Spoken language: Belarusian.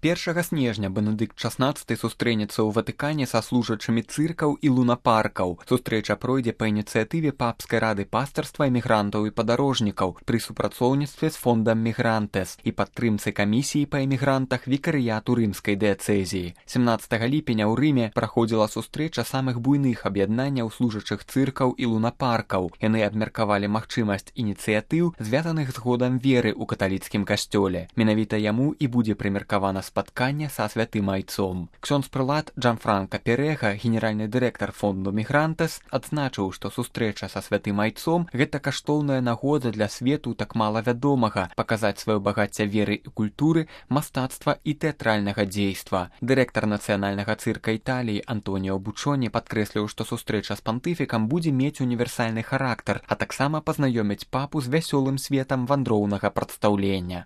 1 снежня Бенедыкт XVI сустрэнецца ў Ватыкане са служачымі цыркаў і лунапаркаў. Сустрэча пройдзе па ініцыятыве Папскай рады пастырства эмігрантаў і падарожнікаў пры супрацоўніцтве з фондам Мігрантес і падтрымцы камісіі па эмігрантах вікарыяту рымскай дыяцэзіі. 17 ліпеня ў Рыме праходзіла сустрэча самых буйных аб'яднанняў служачых цыркаў і лунапаркаў. Яны абмеркавалі магчымасць ініцыятыў, звязаных з годам веры ў каталіцкім касцёле. Менавіта яму і будзе прымеркавана спаткання са святым айцом. Ксёндз-прылад Джанфранка Перега, генеральны дырэктар фонду Мігрантес, адзначыў, што сустрэча са святым айцом – гэта каштоўная нагода для свету так мала вядомага, паказаць сваё багацце веры і культуры, мастацтва і тэатральнага дзейства. Дырэктар нацыянальнага цырка Італіі Антоніо Бучоні падкрэсліў, што сустрэча з пантыфікам будзе мець універсальны характар, а таксама пазнаёміць папу з вясёлым светам вандроўнага прадстаўлення.